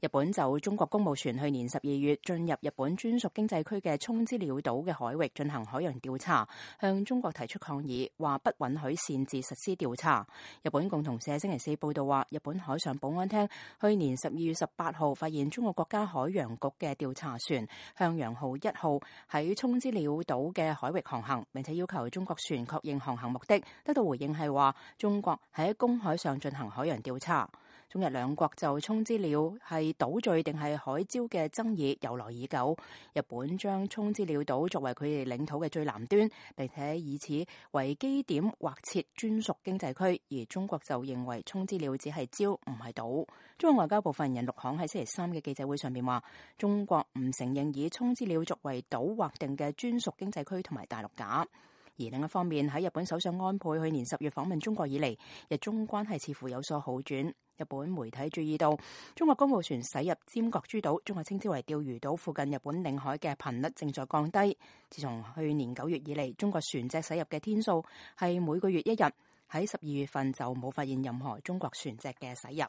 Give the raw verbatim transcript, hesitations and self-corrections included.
日本就中國公務船去年十二月進入日本專屬經濟區嘅沖之鳥島嘅海域進行海洋調查，向中國提出抗議，話不允許擅自實施調查。日本共同社星期四報道話，日本海上保安廳去年十二月十八號發現中國國家海洋局嘅調查船向陽號一號喺沖之鳥島嘅海域航行，並且要求中國船確認航行目的。得到回應係話，中國喺公海上進行海洋調查。中日兩國就沖之鳥係島嶼定係海礁嘅爭議由來已久。日本將沖之鳥島作為佢哋領土嘅最南端，並且以此為基點劃設專屬經濟區，而中國就認為沖之鳥只係礁唔係島。中國外交部發言人陸慷喺星期三嘅記者會上面話，中國唔承認以沖之鳥作為島劃定嘅專屬經濟區同埋大陸架。而另一方面，喺日本首相安倍去年十月訪問中國以嚟，日中關係似乎有所好轉。日本媒體注意到，中國公務船駛入尖閣諸島，中國稱之為釣魚島附近日本領海嘅頻率正在降低。自從去年九月以嚟，中國船隻駛入嘅天數係每個月一日，喺十二月份就冇發現任何中國船隻嘅駛入。